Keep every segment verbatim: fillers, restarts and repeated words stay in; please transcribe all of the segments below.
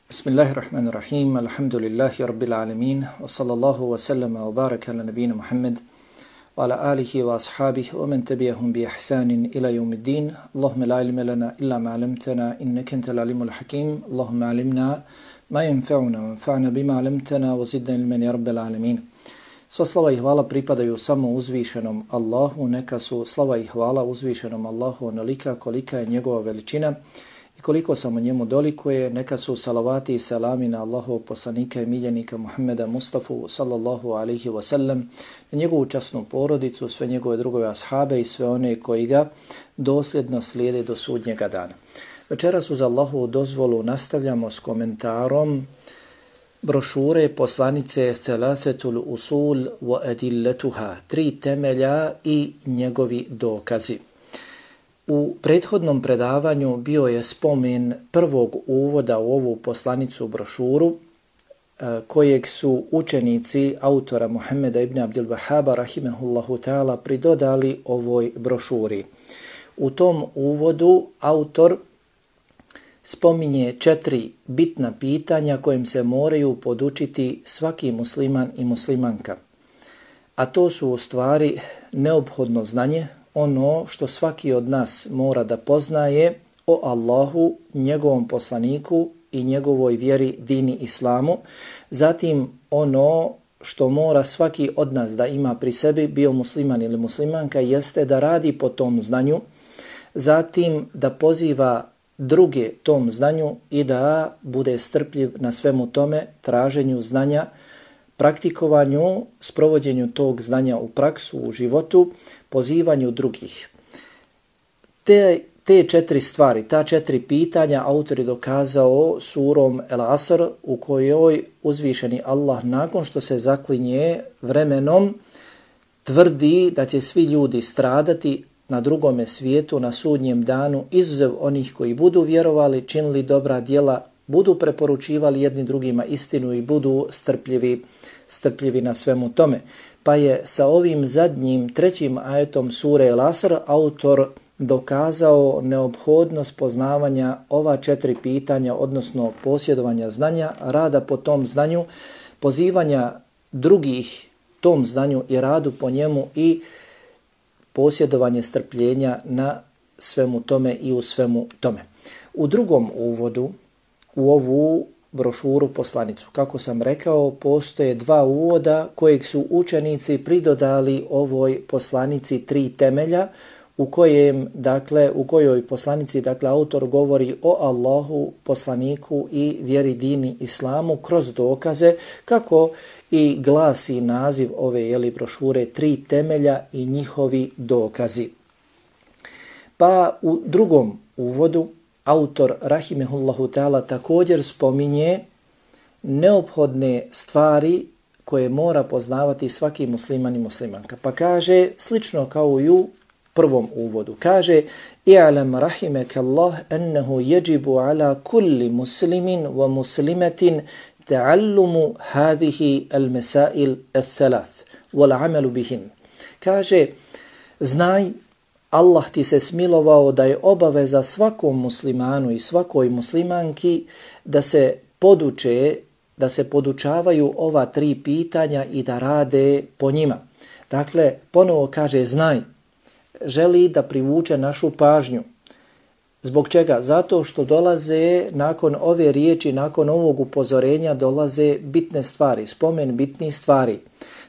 Bismillahirrahmanirrahim, alhamdulillahi rabbil alamin, wa sallallahu wa sallama wa baraka ala nabina Muhammad, wa ala alihi wa ashabihi, wa man tabi'ahum bi ihsanin ila yawmiddin. Allahumma la ilma lana illa ma 'allamtana innaka antal alimul hakim. Allahumma 'allimna ma yanfa'una wa anfa'na bima 'allamtana wa zidna ilman ya rabbil alamin. Sva slava i hvala pripadaju samo uzvišenom Allahu, neka su slava i hvala uzvišenom Allahu onolika kolika je njegova veličina i koliko samo njemu dolikuje. Neka su salavati i salami na Allahovog poslanika i miljenika Muhammeda Mustafa sallallahu alaihi wa sallam, na njegovu časnu porodicu, sve njegove drugove ashabe i sve one koji ga dosljedno slijede do sudnjega dana. Večeras uz Allahovu dozvolu nastavljamo s komentarom brošure poslanice Thalathatul usul wa adillatuha, tri temelja i njegovi dokazi. U prethodnom predavanju bio je spomen prvog uvoda u ovu poslanicu brošuru kojeg su učenici autora Muhammeda ibn Abdul Wahhaba rahimehullahu ta'ala pridodali ovoj brošuri. U tom uvodu autor spominje četiri bitna pitanja kojim se moraju podučiti svaki musliman i muslimanka. A to su u stvari neophodno znanje, ono što svaki od nas mora da poznaje o Allahu, njegovom poslaniku i njegovoj vjeri dini islamu. Zatim ono što mora svaki od nas da ima pri sebi, bio musliman ili muslimanka, jeste da radi po tom znanju. Zatim da poziva druge tom znanju i da bude strpljiv na svemu tome, traženju znanja, praktikovanju, sprovođenju tog znanja u praksu, u životu, pozivanju drugih. Te, te četiri stvari, ta četiri pitanja autor je dokazao surom El Asr, u kojoj uzvišeni Allah nakon što se zaklinje vremenom tvrdi da će svi ljudi stradati na drugome svijetu, na sudnjem danu, izuzev onih koji budu vjerovali, činili dobra djela, budu preporučivali jedni drugima istinu i budu strpljivi, strpljivi na svemu tome. Pa je sa ovim zadnjim, trećim ajetom sure El Asr autor dokazao neophodnost poznavanja ova četiri pitanja, odnosno posjedovanja znanja, rada po tom znanju, pozivanja drugih tom znanju i radu po njemu i posjedovanje strpljenja na svemu tome i u svemu tome. U drugom uvodu u ovu brošuru poslanicu, kako sam rekao, postoje dva uvoda kojeg su učenici pridodali ovoj poslanici tri temelja, u kojem, dakle, u kojoj poslanici, dakle, autor govori o Allahu, poslaniku i vjeri dini islamu kroz dokaze, kako i glasi naziv ove jeli brošure, tri temelja i njihovi dokazi. Pa u drugom uvodu autor rahimehullahu ta'ala također spominje neophodne stvari koje mora poznavati svaki musliman i muslimanka. Pa kaže, slično kao i u prvom uvodu, kaže: "I'lam rahimakallah annahu yajibu ala kulli muslimin wa muslimatin ta'allumu hadhihi al-masail ath-thalath wal 'amalu bihin." Kaže, znaj, Allah ti se smilovao da je obaveza svakom muslimanu i svakoj muslimanki da se poduče, da se podučavaju ova tri pitanja i da rade po njima. Dakle, ponovo kaže, znaj, želi da privuče našu pažnju. Zbog čega? Zato što dolaze nakon ove riječi, nakon ovog upozorenja dolaze bitne stvari, spomen bitnih stvari.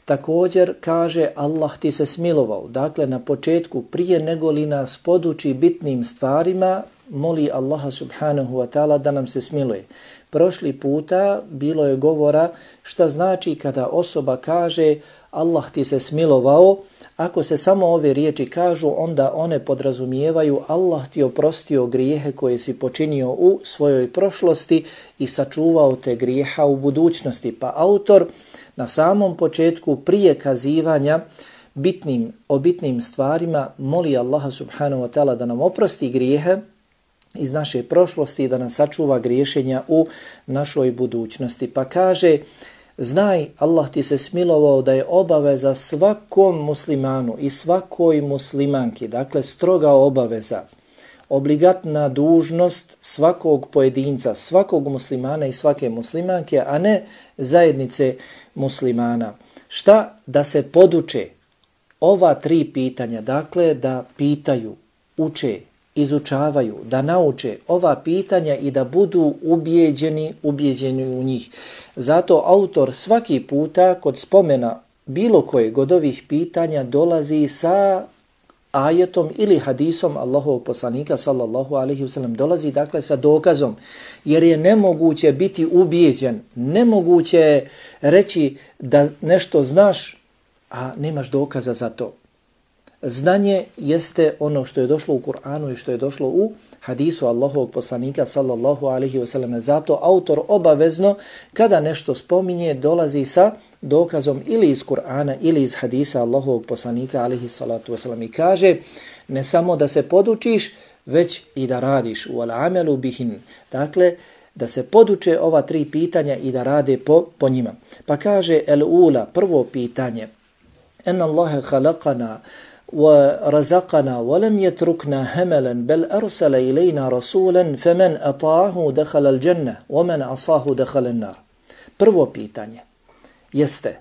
Također kaže, Allah ti se smilovao. Dakle, na početku, prije nego li nas poduči bitnim stvarima, moli Allaha subhanahu wa ta'ala da nam se smiluje. Prošli puta bilo je govora šta znači kada osoba kaže Allah ti se smilovao. Ako se samo ove riječi kažu, onda one podrazumijevaju Allah ti oprostio grijehe koje si počinio u svojoj prošlosti i sačuvao te grijeha u budućnosti. Pa autor na samom početku, prije kazivanja bitnim, o bitnim stvarima, moli Allaha subhanahu wa ta'ala da nam oprosti grijehe iz naše prošlosti i da nas sačuva griješenja u našoj budućnosti. Pa kaže, znaj, Allah ti se smilovao da je obaveza svakom muslimanu i svakoj muslimanki, dakle stroga obaveza, obligatna dužnost svakog pojedinca, svakog muslimana i svake muslimanke, a ne zajednice muslimana. Šta? Da se poduče ova tri pitanja, dakle da pitaju, uče, izučavaju, da nauče ova pitanja i da budu ubijeđeni, ubijeđeni u njih. Zato autor svaki puta kod spomena bilo kojeg od ovih pitanja dolazi sa ajetom ili hadisom Allahovog poslanika sallallahu alejhi ve sellem, dolazi dakle sa dokazom, jer je nemoguće biti ubijeđen, nemoguće reći da nešto znaš, a nemaš dokaza za to. Znanje jeste ono što je došlo u Kur'anu i što je došlo u hadisu Allahovog poslanika sallallahu alejhi ve sellem. Zato autor obavezno kada nešto spominje dolazi sa dokazom ili iz Kur'ana ili iz hadisa Allahovog poslanika alejhi salatu ve sellem i kaže ne samo da se podučiš, već i da radiš. Wal amalu bihin. Dakle, da se poduče ova tri pitanja i da rade po, po njima. Pa kaže el ula, prvo pitanje, en Allahe khalaqana ورزقنا ولم يتركنا هملا بل أرسل إلينا رسولا فمن أطاعه دخل الجنة ومن عصاه دخل النار. Prvo pitanje jeste,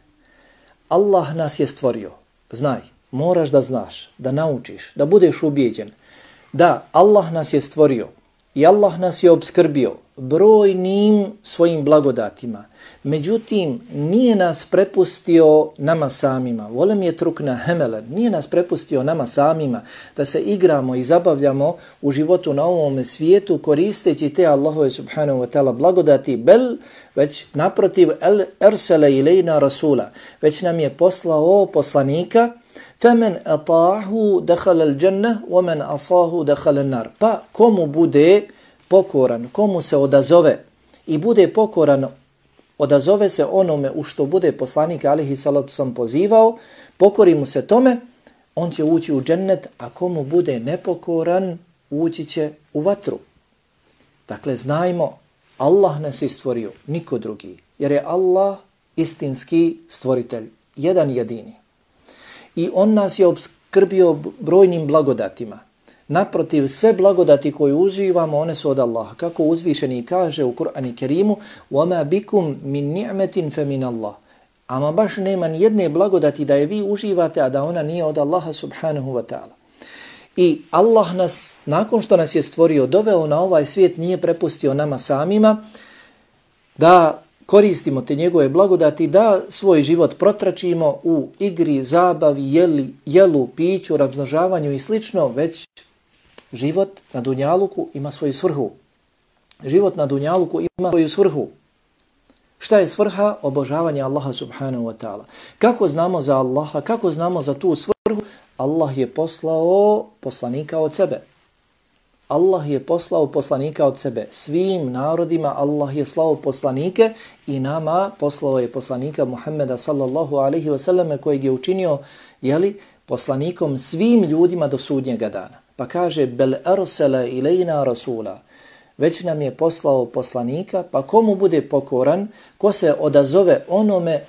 Allah nas je stvorio. Znaj, moraš da znaš, da naučiš, da budeš ubijeđen da Allah nas je stvorio i Allah nas je obskrbio brojnim svojim blagodatima. Međutim, nije nas prepustio nama samima. Volem je trukna hemelen. Nije nas prepustio nama samima da se igramo i zabavljamo u životu na ovome svijetu koristeći te Allahove subhanahu wa ta'ala blagodati. Bel, već naprotiv, el ersele ilejna rasula. Već nam je poslao poslanika. Femen ata'ahu dakhala al-jannah wa man asahu dakhala an-nar. Pa komu bude pokoran, komu se odazove i bude pokoran, odazove se onome u što bude poslanik alejhi salatu sam pozivao, pokori mu se tome, on će ući u džennet, a komu bude nepokoran, ući će u vatru. Dakle, znajmo, Allah nas je stvorio, niko drugi, jer je Allah istinski stvoritelj, jedan jedini. I on nas je obskrbio brojnim blagodatima. Naprotiv, sve blagodati koje uživamo, one su od Allaha. Kako uzvišeni kaže u Kur'anu Kerimu, وَمَا بِكُمْ مِنْ نِعْمَةٍ فَمِنَ اللَّهِ. Ama baš nema nijedne blagodati da je vi uživate, a da ona nije od Allaha subhanahu wa ta'ala. I Allah nas, nakon što nas je stvorio, doveo na ovaj svijet, nije prepustio nama samima da koristimo te njegove blagodati, da svoj život protračimo u igri, zabavi, jeli, jelu, piću, razmnožavanju i slično, već život na dunjaluku ima svoju svrhu. Život na dunjaluku ima svoju svrhu. Šta je svrha? Obožavanje Allaha subhanahu wa ta'ala. Kako znamo za Allaha? Kako znamo za tu svrhu? Allah je poslao poslanika od sebe. Allah je poslao poslanika od sebe. Svim narodima Allah je slao poslanike i nama poslao je poslanika Muhammeda sallallahu alaihi wa sallam kojeg je učinio, jeli, poslanikom svim ljudima do sudnjega dana. Pa kaže, bel arsala ilajna rasula. Već nam je poslao poslanika, pa komu bude pokoran, ko se odazove onome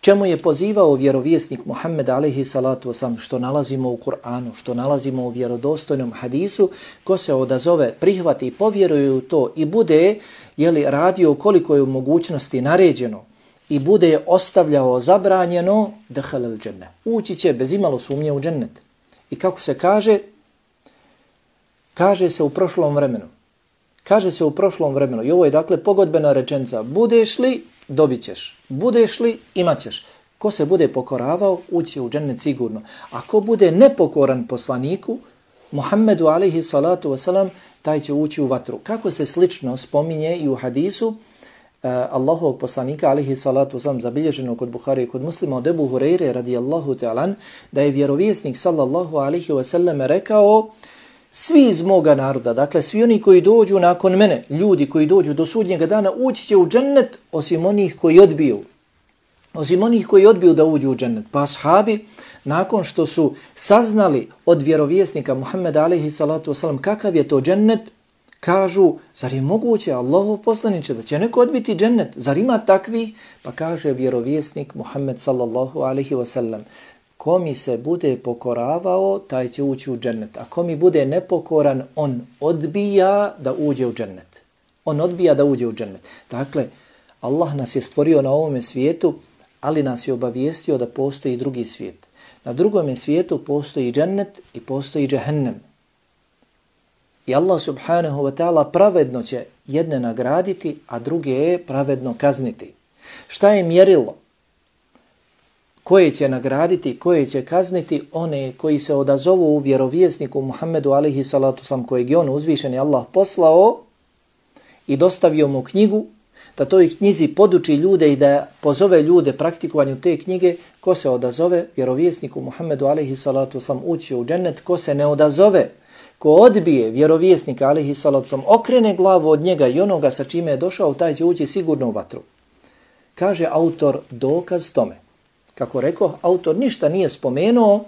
čemu je pozivao vjerovjesnik Muhammed alejhi salatu wasalam, što nalazimo u Kur'anu, što nalazimo u vjerodostojnom hadisu, ko se odazove, prihvati i povjeruje u to i bude, jeli, radio koliko je u mogućnosti naređeno i bude ostavljao zabranjeno, dakhala al-dženne. Ući će bez imalo sumnje u džennet. I kako se kaže? Kaže se u prošlom vremenu. Kaže se u prošlom vremenu. I ovo je dakle pogodbena rečenica. Budeš li, dobit ćeš. Budeš li, imat ćeš. Ko se bude pokoravao, ući u džennet sigurno. A ko bude nepokoran poslaniku, Muhammedu alejhi salatu wasalam, taj će ući u vatru. Kako se slično spominje i u hadisu uh, Allahovog poslanika alejhi salatu wasalam, zabilježeno kod Buhari i kod Muslima od Ebu Hureyre radijallahu ta'alan, da je vjerovjesnik sallallahu alejhi wasallam rekao: svi iz moga naroda, dakle svi oni koji dođu nakon mene, ljudi koji dođu do sudnjega dana, ući će u džennet, osim onih koji odbiju. Osim onih koji odbiju da uđu u džennet. Pa ashabi, nakon što su saznali od vjerovjesnika Muhammeda alejhi salatu wasalam kakav je to džennet, kažu, zar je moguće, Allahov poslaniče, da će neko odbiti džennet? Zar ima takvi? Pa kaže vjerovjesnik Muhammed sallallahu alejhi wasallam, ko mi se bude pokoravao, taj će ući u džennet. A ko mi bude nepokoran, on odbija da uđe u džennet. On odbija da uđe u džennet. Dakle, Allah nas je stvorio na ovome svijetu, ali nas je obavijestio da postoji drugi svijet. Na drugome svijetu postoji džennet i postoji džehennem. I Allah subhanahu wa ta'ala pravedno će jedne nagraditi, a druge je pravedno kazniti. Šta je mjerilo? Koje će nagraditi, koje će kazniti? One koji se odazovu u vjerovjesniku Muhammedu alejhi salatu vesselam, kojeg je on uzvišeni Allah poslao i dostavio mu knjigu, da toj knjizi poduči ljude i da pozove ljude praktikovanju te knjige. Ko se odazove vjerovjesniku Muhammedu alejhi salatu vesselam, ući u džennet. Ko se ne odazove, ko odbije vjerovjesnika alejhi salatu vesselam, okrene glavu od njega i onoga sa čime je došao, taj će ući sigurno u vatru. Kaže autor dokaz tome. Kako rekao, autor ništa nije spomenuo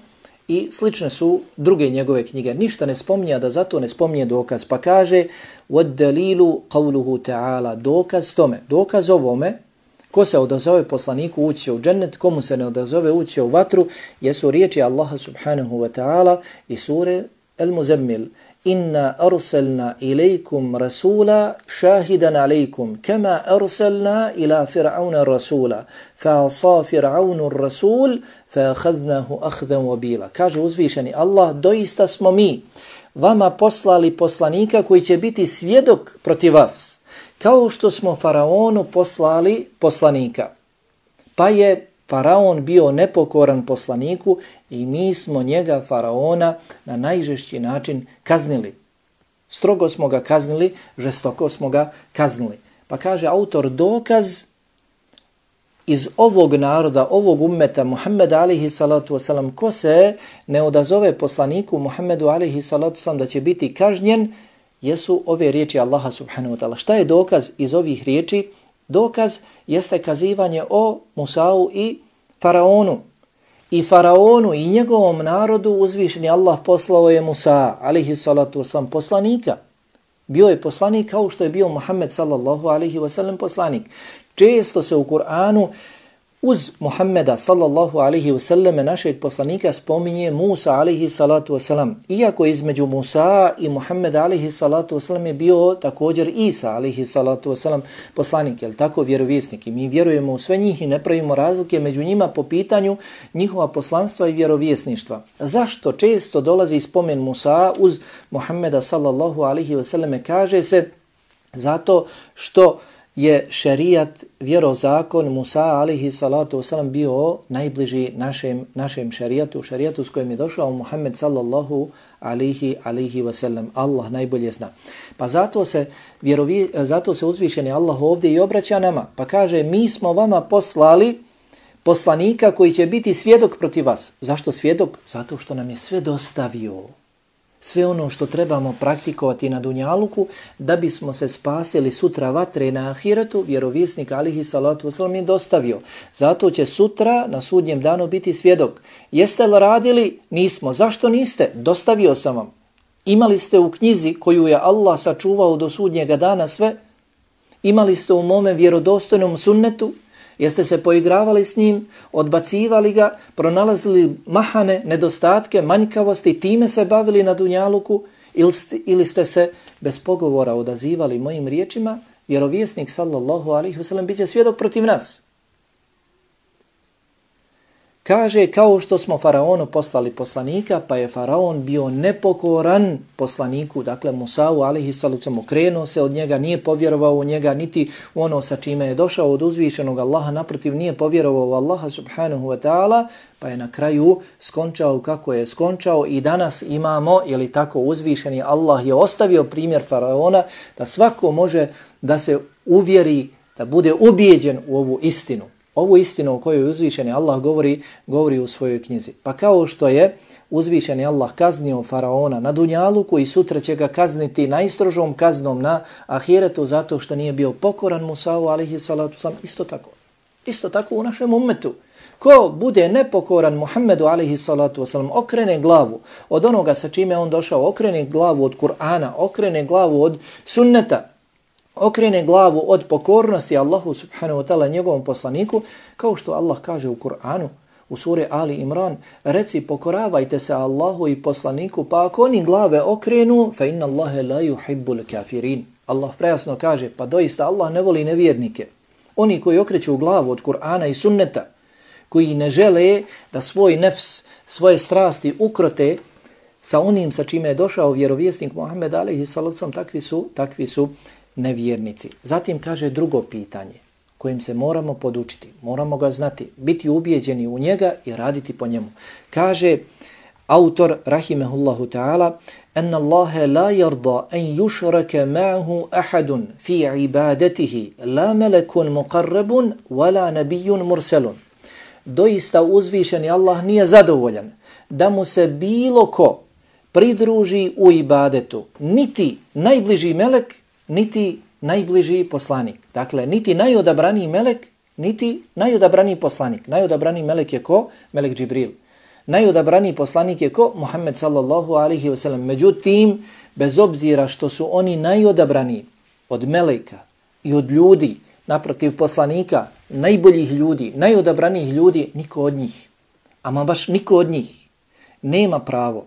i slične su druge njegove knjige. Ništa ne spominje, da zato ne spominje dokaz. Pa kaže, وَدَّلِيلُ قَوْلُهُ تَعَالَ, dokaz tome, dokaz ovome, ko se odazove poslaniku ući u džennet, komu se ne odazove ući u vatru, jesu riječi Allaha subhanahu wa ta'ala i sure Al-Muzammil. Inna arsalna ilaikum rasula shahidan alaikum kama arsalna ila fir'auna rasula fa asa fir'aunu rasul fa akhadnahu akhdan wabila. Kaže uzvišeni Allah, doista smo mi vama poslali poslanika koji će biti svjedok protiv vas, kao što smo faraonu poslali poslanika. Pa je faraon bio nepokoran poslaniku i mi smo njega, faraona, na najžešći način kaznili. Strogo smo ga kaznili, žestoko smo ga kaznili. Pa kaže autor, dokaz iz ovog naroda, ovog ummeta Muhammeda alejhi salatu vesselam, ko se ne odazove poslaniku Muhammedu alejhi salatu vesselam da će biti kažnjen, jesu ove riječi Allaha subhanahu wa ta'ala. Šta je dokaz iz ovih riječi? Dokaz jeste kazivanje o Musau i faraonu. I faraonu i njegovom narodu uzvišeni Allah poslao je Musa alejhi salatu vesselam poslanika. Bio je poslanik kao što je bio Muhammed sallallahu alejhi ve sellem poslanik. Često se u Kur'anu uz Muhammeda sallallahu alejhi ve sellem našeg poslanika spominje Musa alejhi salatu vesselam. Iako između Musa i Muhammeda alejhi salatu vesselam je bio također Isa alejhi salatu vesselam poslanik, je tako, vjerovjesnik. I mi vjerujemo u sve njih i ne pravimo razlike među njima po pitanju njihova poslanstva i vjerovjesništva. Zašto često dolazi spomen Musa uz Muhammeda sallallahu alejhi ve sellem? Kaže se zato što je šerijat, vjerozakon Musa alejhi salatu vesselam bio najbliži našem, našem šerijatu, šerijatu s kojim je došao Muhammed sallallahu alejhi alejhi ve sellem. Allah najbolje zna. Pa zato se, vjerovi, zato se uzvišeni Allah ovdje i obraća nama. Pa kaže, mi smo vama poslali poslanika koji će biti svjedok protiv vas. Zašto svjedok? Zato što nam je sve dostavio. Sve ono što trebamo praktikovati na dunjaluku da bismo se spasili sutra vatre na ahiretu, vjerovjesnik alejhi salatu vesselam je dostavio. Zato će sutra na sudnjem danu biti svjedok. Jeste li radili? Nismo. Zašto niste? Dostavio sam vam. Imali ste u knjizi koju je Allah sačuvao do sudnjega dana sve? Imali ste u mome vjerodostojnom sunnetu? Jeste se poigravali s njim, odbacivali ga, pronalazili mahane, nedostatke, manjkavosti, time se bavili na dunjaluku ili ste, ili ste se bez pogovora odazivali mojim riječima? Vjerovjesnik sallallahu alejhi ve sellem biće svjedok protiv nas. Kaže, kao što smo faraonu poslali poslanika, pa je faraon bio nepokoran poslaniku, dakle Musau alejhi salatu vesselam, okrenuo se od njega, nije povjerovao u njega, niti u ono sa čime je došao od uzvišenog Allaha, naprotiv nije povjerovao u Allaha subhanahu wa ta'ala, pa je na kraju skončao kako je skončao. I danas imamo, je li tako, uzvišeni Allah je ostavio primjer faraona da svako može da se uvjeri, da bude ubijeđen u ovu istinu. Ovu istinu o kojoj uzvišeni Allah govori, govori u svojoj knjizi. Pa kao što je uzvišeni Allah kaznio faraona na dunjaluku i sutra će ga kazniti najstrožom kaznom na ahiretu zato što nije bio pokoran Musau alejhi salatu vesselam, isto tako. Isto tako u našem ummetu. Ko bude nepokoran Muhammedu alejhi salatu vesselam, okrene glavu od onoga sa čime on došao, okrene glavu od Kur'ana, okrene glavu od sunneta, okrene glavu od pokornosti Allahu subhanahu wa ta'ala njegovom poslaniku, kao što Allah kaže u Kur'anu, u suri Ali Imran, reci pokoravajte se Allahu i poslaniku, pa ako oni glave okrenu, fa inna Allahe la yuhibbul kafirin. Allah prejasno kaže, pa doista Allah ne voli nevjernike. Oni koji okreću glavu od Kur'ana i sunneta, koji ne žele da svoj nefs, svoje strasti ukrote sa onim sa čime je došao vjerovjesnik Muhammed alejhi salatu, takvi su, takvi su nevjernici. Zatim kaže drugo pitanje kojim se moramo podučiti, moramo ga znati, biti ubijeđeni u njega i raditi po njemu. Kaže autor rahimehullahu ta'ala, أن الله لا يرضى أن يشرك معه أحد في عبادته لا ملك مقرب ولا نبي مرسل. Doista uzvišeni Allah nije zadovoljan da mu se bilo ko pridruži u ibadetu, niti najbliži melek, niti najbliži poslanik. Dakle, niti najodabraniji melek, niti najodabraniji poslanik. Najodabraniji melek je ko? Melek Džibril. Najodabraniji poslanik je ko? Muhammed sallallahu alaihi wa sallam. Međutim, bez obzira što su oni najodabraniji od meleka i od ljudi, naprotiv poslanika, najboljih ljudi, najodabranijih ljudi, niko od njih, ama baš niko od njih, nema pravo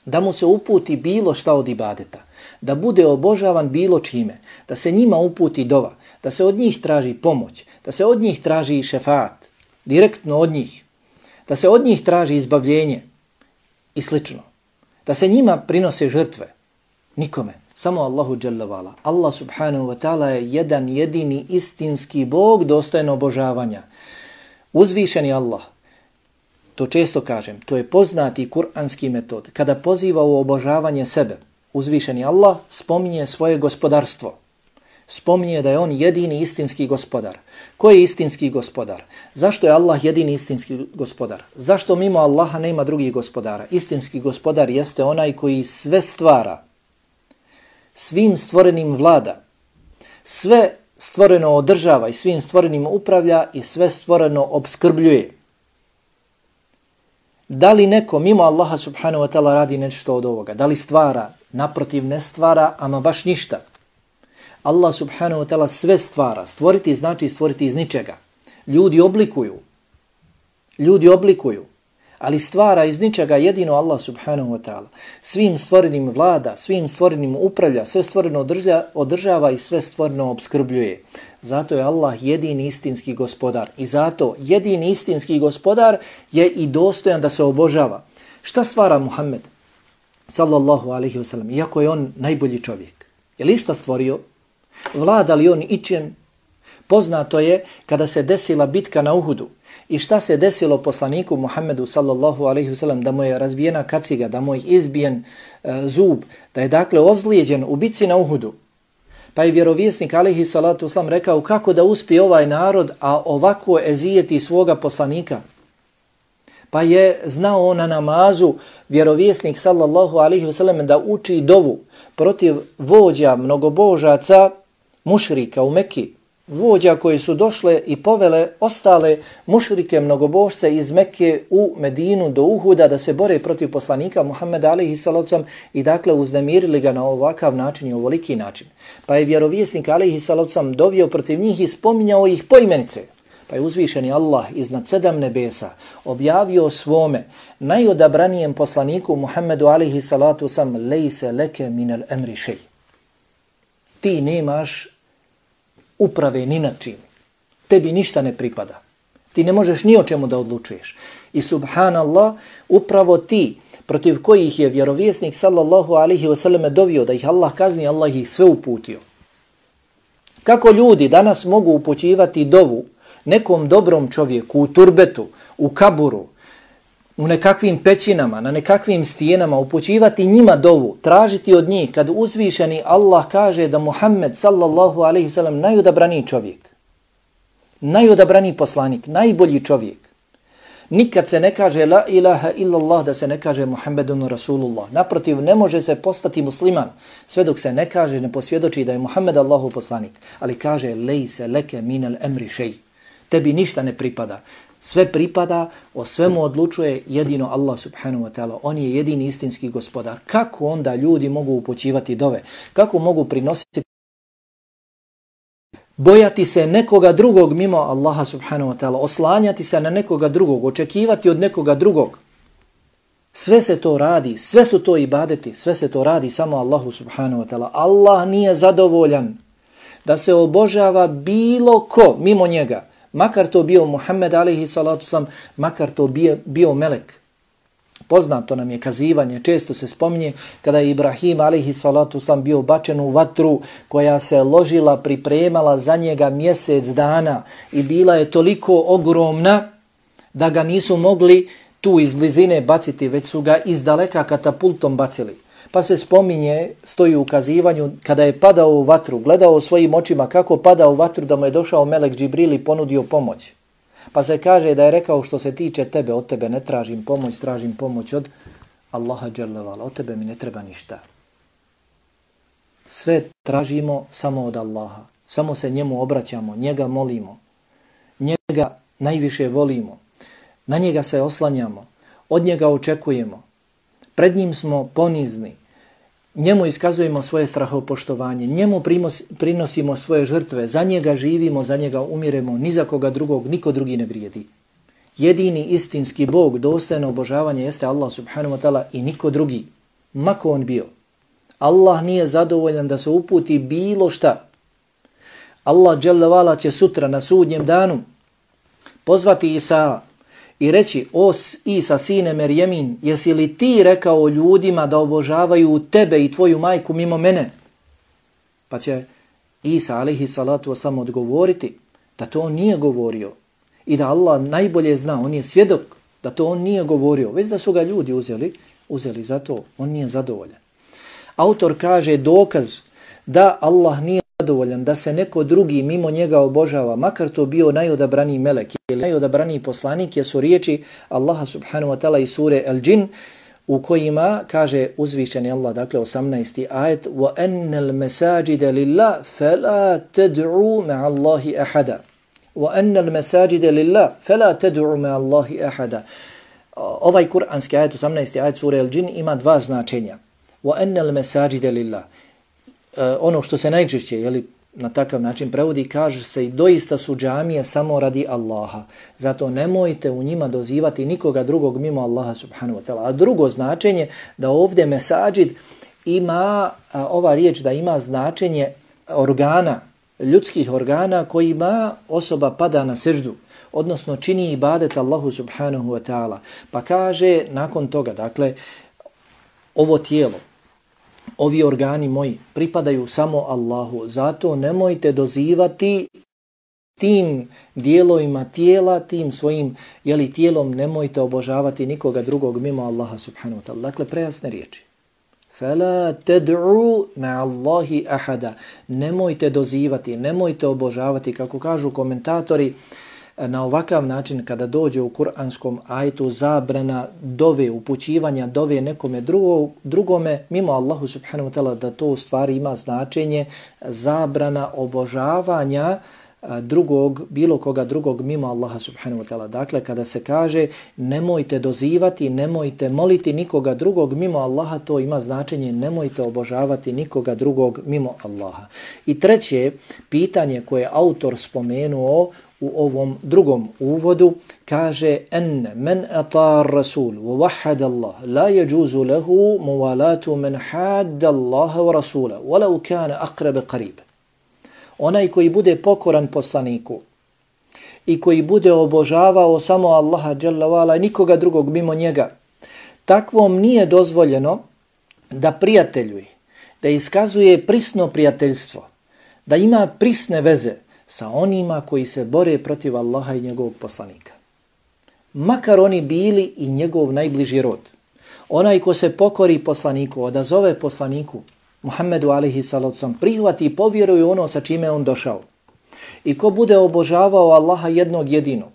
da mu se uputi bilo šta od ibadeta, da bude obožavan bilo čime, da se njima uputi dova, da se od njih traži pomoć, da se od njih traži šefaat, direktno od njih, da se od njih traži izbavljenje i slično, da se njima prinose žrtve, nikome. Samo Allahu dželle vala. Allah subhanahu wa ta'ala je jedan jedini istinski Bog dostojan obožavanja. Uzvišeni Allah, to često kažem, to je poznati kuranski metod. Kada poziva u obožavanje sebe, uzvišeni Allah spominje svoje gospodarstvo. Spominje da je on jedini istinski gospodar. Ko je istinski gospodar? Zašto je Allah jedini istinski gospodar? Zašto mimo Allaha nema drugih gospodara? Istinski gospodar jeste onaj koji sve stvara, svim stvorenim vlada, sve stvoreno održava i svim stvorenim upravlja i sve stvoreno obskrbljuje. Da li neko mimo Allaha subhanahu wa ta'ala radi nešto od ovoga? Da li stvara? Naprotiv, ne stvara, ama baš ništa. Allah subhanahu wa ta'ala sve stvara. Stvoriti znači stvoriti iz ničega. Ljudi oblikuju. Ljudi oblikuju. Ali stvara iz ničega jedino Allah subhanahu wa ta'ala. Svim stvorenim vlada, svim stvorenim upravlja, sve stvoreno održava, održava i sve stvoreno obskrbljuje. Zato je Allah jedini istinski gospodar. I zato jedini istinski gospodar je i dostojan da se obožava. Šta stvara Muhammed sallallahu alaihi wa sallam, iako je on najbolji čovjek? Je li šta stvorio? Vlada li on ičem? Poznato je kada se desila bitka na Uhudu i šta se desilo poslaniku Muhammedu sallallahu alaihi wa sallam, da mu je razbijena kaciga, da mu je izbijen e, zub, da je dakle ozlijeđen u bitci na Uhudu. Pa je vjerovjesnik alaihi salatu wasalam rekao kako da uspije ovaj narod, a ovako ezijeti svoga poslanika. Pa je znao na namazu vjerovjesnik sallallahu alaihi wa sallam da uči dovu protiv vođa mnogobožaca mušrika u Mekki, vođa koji su došle i povele ostale mušrike mnogobožce iz Mekke u Medinu do Uhuda da se bore protiv poslanika Muhammeda alejhi salatu vesselam i dakle uznemirili ga na ovakav način i ovoliki način. Pa je vjerovjesnik alejhi salatu vesselam dovio protiv njih i spominjao ih poimenice. Pa je uzvišeni Allah iznad sedam nebesa objavio svome najodabranijem poslaniku Muhammedu alejhi salatu vesselam lejse leke minel emri šej. Ti nemaš uprave ni na čim. Tebi ništa ne pripada. Ti ne možeš ni o čemu da odlučuješ. I subhanallah, upravo ti protiv kojih je vjerovjesnik sallallahu alaihi wasallam dovio da ih Allah kazni, Allah ih sve uputio. Kako ljudi danas mogu upućivati dovu nekom dobrom čovjeku u turbetu, u kaburu, u nekakvim pećinama, na nekakvim stijenama, upućivati njima dovu, tražiti od njih kad uzvišeni Allah kaže da Muhammed sallallahu alaihi wasallam najodabraniji čovjek, najodabraniji poslanik, najbolji čovjek. Nikad se ne kaže la ilaha illallah da se ne kaže Muhammedun Rasulullah. Naprotiv, ne može se postati musliman sve dok se ne kaže, ne posvjedoči da je Muhammed Allahov poslanik. Ali kaže lejse leke minel emri šej. Tebi ništa ne pripada. Sve pripada, o svemu odlučuje jedino Allah subhanahu wa ta'ala. On je jedini istinski gospodar. Kako onda ljudi mogu upućivati dove? Kako mogu prinositi bojati se nekoga drugog mimo Allaha subhanahu wa ta'ala, oslanjati se na nekoga drugog, očekivati od nekoga drugog. Sve se to radi, sve su to ibadeti, sve se to radi samo Allahu subhanahu wa ta'ala. Allah nije zadovoljan da se obožava bilo ko mimo njega, makar to bio Muhammed alejhi salatu vesselam, makar to bio, bio melek. Poznato nam je kazivanje, često se spominje kada je Ibrahim alejhi salatu vesselam bio bačen u vatru koja se ložila, pripremala za njega mjesec dana i bila je toliko ogromna da ga nisu mogli tu iz blizine baciti, već su ga iz daleka katapultom bacili. Pa se spominje, stoji u ukazivanju, kada je padao u vatru, gledao svojim očima kako pada u vatru, da mu je došao melek Džibril i ponudio pomoć. Pa se kaže da je rekao, što se tiče tebe, od tebe ne tražim pomoć, tražim pomoć od Allaha dželle vala, od tebe mi ne treba ništa. Sve tražimo samo od Allaha, samo se njemu obraćamo, njega molimo, njega najviše volimo, na njega se oslanjamo, od njega očekujemo, pred njim smo ponizni, njemu iskazujemo svoje strahopoštovanje, njemu prinosimo svoje žrtve, za njega živimo, za njega umiremo, ni za koga drugog, niko drugi ne vrijedi. Jedini istinski Bog, dostojno obožavanje jeste Allah subhanahu wa ta'ala i niko drugi, mako on bio. Allah nije zadovoljan da se uputi bilo šta. Allah dželle vala će sutra na sudnjem danu pozvati Isa i reći: o Isa, sine Merjemin, jesi li ti rekao ljudima da obožavaju tebe i tvoju majku mimo mene? Pa će Isa alejhi salatu vesselam odgovoriti da to on nije govorio i da Allah najbolje zna, on je svjedok da to on nije govorio, već da su ga ljudi uzeli, uzeli za to, on nije zadovoljan. Autor kaže dokaz da Allah nije zadovoljan, da se neko drugi mimo njega obožava, makar to bio najodabraniji melek ili najodabraniji poslanik, jesu riječi Allaha subhanahu wa ta'ala iz sure Al-Džin, u kojima kaže uzvišeni Allah, dakle osamnaesti ajet: وَأَنَّ الْمَسَاجِدَ لِلَّهِ فَلَا تَدْعُوا مَعَ اللَّهِ أَحَدًا وَأَنَّ الْمَسَاجِدَ لِلَّهِ فَلَا تَدْعُوا مَعَ اللَّهِ أَحَدًا. Ovaj kuranski ajet, osamnaesti ajet sure Al-Džin, ima dva značenja. وَأَنَّ الْمَسَاجِدَ لِلَّهِ, ono što se najčešće, jeli, na takav način prevodi, kaže se i doista su džamije samo radi Allaha. Zato nemojte u njima dozivati nikoga drugog mimo Allaha subhanahu wa ta'ala. A drugo značenje, da ovdje mesađid ima, a, ova riječ da ima značenje organa, ljudskih organa kojima osoba pada na seždu, odnosno čini ibadet Allahu subhanahu wa ta'ala. Pa kaže nakon toga, dakle, ovo tijelo, ovi organi moji pripadaju samo Allahu, zato nemojte dozivati tim dijelovima tijela, tim svojim jeli, tijelom, nemojte obožavati nikoga drugog mimo Allaha subhanahu wa ta'ala. Dakle, prejasne riječi. فَلَا تَدْعُوا مَعَ اللَّهِ أَحَدًا. Nemojte dozivati, nemojte obožavati, kako kažu komentatori, na ovakav način kada dođe u kuranskom ajetu zabrana dove, upućivanja dove nekome drugo, drugome mimo Allahu subhanahu wa ta'ala, da to u stvari ima značenje zabrana obožavanja drugog, bilo koga drugog mimo Allaha subhanahu wa ta'ala. Dakle, kada se kaže nemojte dozivati, nemojte moliti nikoga drugog mimo Allaha, to ima značenje nemojte obožavati nikoga drugog mimo Allaha. I treće pitanje koje autor spomenuo u ovom drugom uvodu, kaže: en men atar rasul wa wahhada Allah la yajuzu lahu muwalatu man hadda Allah wa rasula walau kana aqrab qarib. Onaj koji bude pokoran poslaniku i koji bude obožavao samo Allaha dželle vala i nikoga drugog mimo njega, takvom nije dozvoljeno da prijateljuje, da iskazuje prisno prijateljstvo, da ima prisne veze sa onima koji se bore protiv Allaha i njegovog poslanika. Makar oni bili i njegov najbliži rod. Onaj ko se pokori poslaniku, odazove poslaniku, Muhammedu alejhi salatu vesselam, prihvati i povjeruje ono sa čime on došao. I ko bude obožavao Allaha jednog jedinog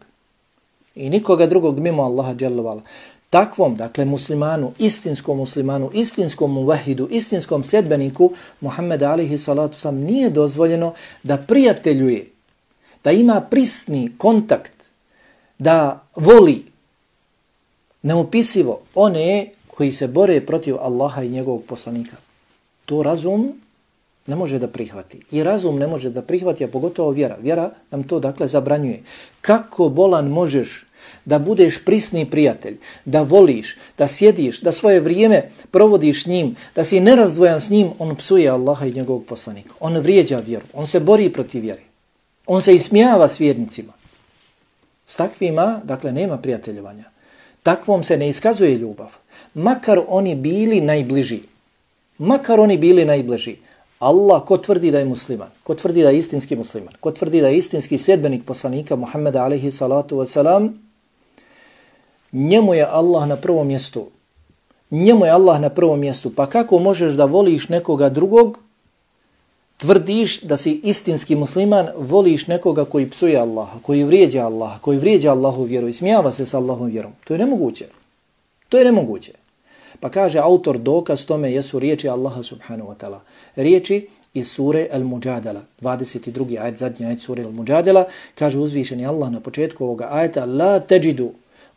i nikoga drugog mimo Allaha dželle vala, takvom, dakle muslimanu, istinskom muslimanu, istinskom muvahidu, istinskom sljedbeniku Muhammeda alejhi salatu vesselam nije dozvoljeno da prijateljuje, da ima prisni kontakt, da voli neopisivo one koji se bore protiv Allaha i njegovog poslanika. To razum ne može da prihvati. I razum ne može da prihvati, a pogotovo vjera. Vjera nam to dakle zabranjuje. Kako bolan možeš da budeš prisni prijatelj, da voliš, da sjediš, da svoje vrijeme provodiš s njim, da si nerazdvojan s njim, on psuje Allaha i njegovog poslanika. On vrijeđa vjeru, on se bori protiv vjere. On se ismijava s vjernicima. S takvima, dakle, nema prijateljevanja. Takvom se ne iskazuje ljubav. Makar oni bili najbliži. Makar oni bili najbliži. Allah, ko tvrdi da je musliman, ko tvrdi da je istinski musliman, ko tvrdi da je istinski sljedbenik poslanika Muhammeda alaihi salatu wasalam, njemu je Allah na prvom mjestu. Njemu je Allah na prvom mjestu. Pa kako možeš da voliš nekoga drugog, tvrdiš da si istinski musliman, voliš nekoga koji psuje Allaha, koji vrijeđa Allaha, koji vrijeđa Allahu vjeru i smijava se s Allahom vjerom. To je nemoguće. To je nemoguće. Pa kaže autor, dokaz tome jesu riječi Allaha subhanahu wa ta'ala. Riječi iz sure Al-Mujadala, dvadeset drugi ajet, zadnji ajet sure Al-Mujadala, kaže uzvišeni Allah na početku ovoga ajeta: La teđidu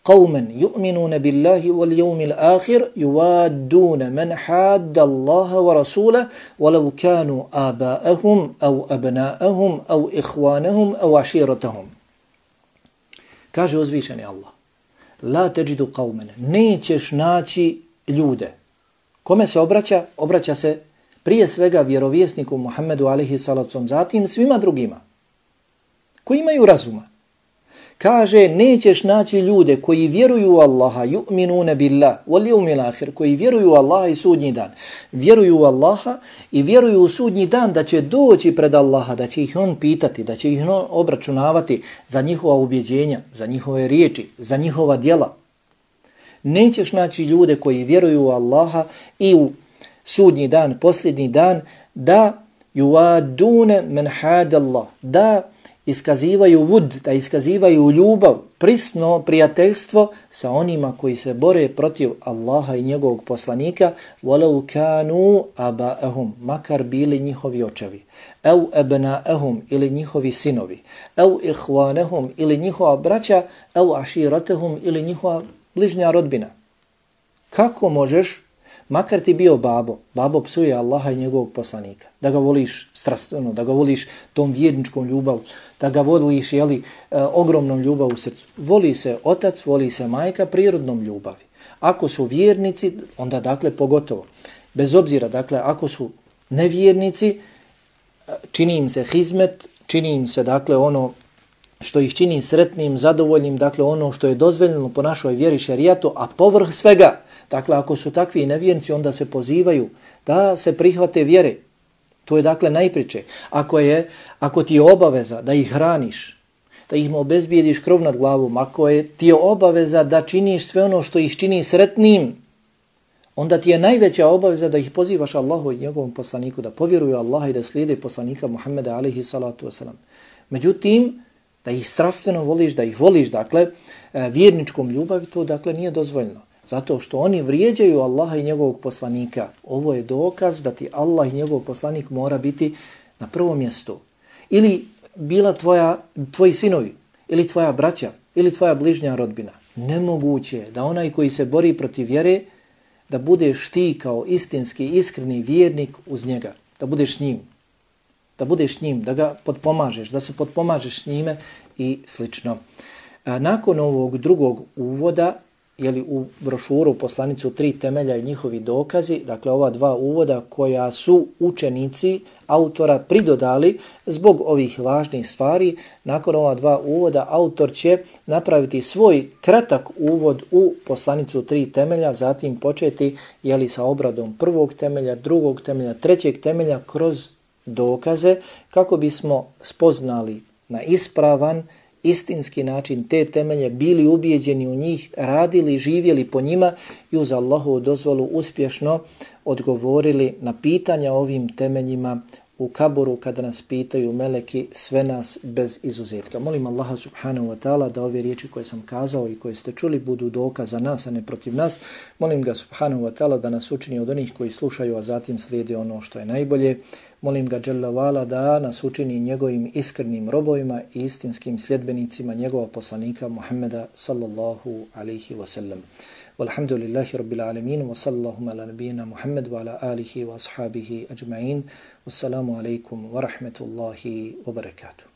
qawman yu'minuna billahi wal yawmil akhir yuwadduna man hadda Allaha wa rasulahu walau kanu aba'ahum aw abna'ahum aw ikhwanahum aw ashiratahum. Kaže uzvišeni Allah: La teđidu qawman, nećeš naći ljude. Kome se obraća? Obraća se prije svega vjerovjesniku Muhammedu alejhi salatu, zatim svima drugima koji imaju razuma. Kaže, nećeš naći ljude koji vjeruju u Allaha, yu'minuna billah wal yawmil akhir, koji vjeruju u Allaha i sudnji dan. Vjeruju u Allaha i vjeruju u sudnji dan da će doći pred Allaha, da će ih on pitati, da će ih on obračunavati za njihova ubjeđenja, za njihove riječi, za njihova djela. Nećeš naći ljude koji vjeruju u Allaha i u sudnji dan, posljednji dan, da yuwadune man hada Allah, da iskazivaju vud, da iskazivaju ljubav, prisno prijateljstvo sa onima koji se bore protiv Allaha i njegovog poslanika, walau kanu aba'ahum, makar bili njihovi očevi, au abna'ahum, ili njihovi sinovi, au ikhwanahum, ili njihova braća, au ashiratahum, ili njihova bližnja rodbina. Kako možeš, makar ti bio babo, babo psuje Allaha i njegovog poslanika, da ga voliš strastveno, da ga voliš tom vjerničkom ljubav, da ga voliš, jeli, e, ogromnom ljubav u srcu. Voli se otac, voli se majka prirodnom ljubavi. Ako su vjernici, onda dakle pogotovo. Bez obzira, dakle, ako su nevjernici, čini im se hizmet, čini im se, dakle, ono što ih čini sretnim, zadovoljnim, dakle, ono što je dozvoljeno po našoj vjeri šerijatu, a povrh svega, dakle, ako su takvi nevjernici, onda se pozivaju da se prihvate vjere. To je dakle najpriče. Ako je, ako ti je obaveza da ih hraniš, da ih obezbijediš krov nad glavom, ako je ti je obaveza da činiš sve ono što ih čini sretnim, onda ti je najveća obaveza da ih pozivaš Allahu i njegovom poslaniku, da povjeruju Allaha i da slijede poslanika Muhammeda alejhi salatu wasalam. Međutim, da ih strastveno voliš, da ih voliš, dakle, vjerničkom ljubavi, to dakle nije dozvoljeno. Zato što oni vrijeđaju Allaha i njegovog poslanika. Ovo je dokaz da ti Allah i njegov poslanik mora biti na prvom mjestu. Ili bila tvoja, tvoji sinovi, ili tvoja braća, ili tvoja bližnja rodbina. Nemoguće da onaj koji se bori protiv vjere, da budeš ti kao istinski, iskreni vjernik uz njega. Da budeš s njim. Da budeš s njim, da ga potpomažeš, da se potpomažeš s njime i slično. A nakon ovog drugog uvoda, jeli u brošuru poslanicu tri temelja i njihovi dokazi, dakle ova dva uvoda koja su učenici autora pridodali zbog ovih važnih stvari, nakon ova dva uvoda autor će napraviti svoj kratak uvod u poslanicu tri temelja, zatim početi jeli sa obradom prvog temelja, drugog temelja, trećeg temelja kroz dokaze kako bismo spoznali na ispravan istinski način te temelje, bili ubijeđeni u njih, radili, živjeli po njima i uz Allahovu dozvolu uspješno odgovorili na pitanja ovim temeljima u kaburu kada nas pitaju meleki, sve nas bez izuzetka. Molim Allaha subhanahu wa ta'ala da ove riječi koje sam kazao i koje ste čuli budu dokaz za nas, a ne protiv nas. Molim ga subhanahu wa ta'ala da nas učini od onih koji slušaju, a zatim slijedi ono što je najbolje. Molim ga dželle vala da nas učini njegovim iskrenim robovima i istinskim sljedbenicima njegova poslanika Muhammeda sallallahu alaihi wa sallam. Walhamdulillahi rabbil alamin wa sallallahu ala nabijina Muhammed wa ala alihi wa ashabihi ajma'in. Wassalamu alaikum wa rahmetullahi wa barakatuh.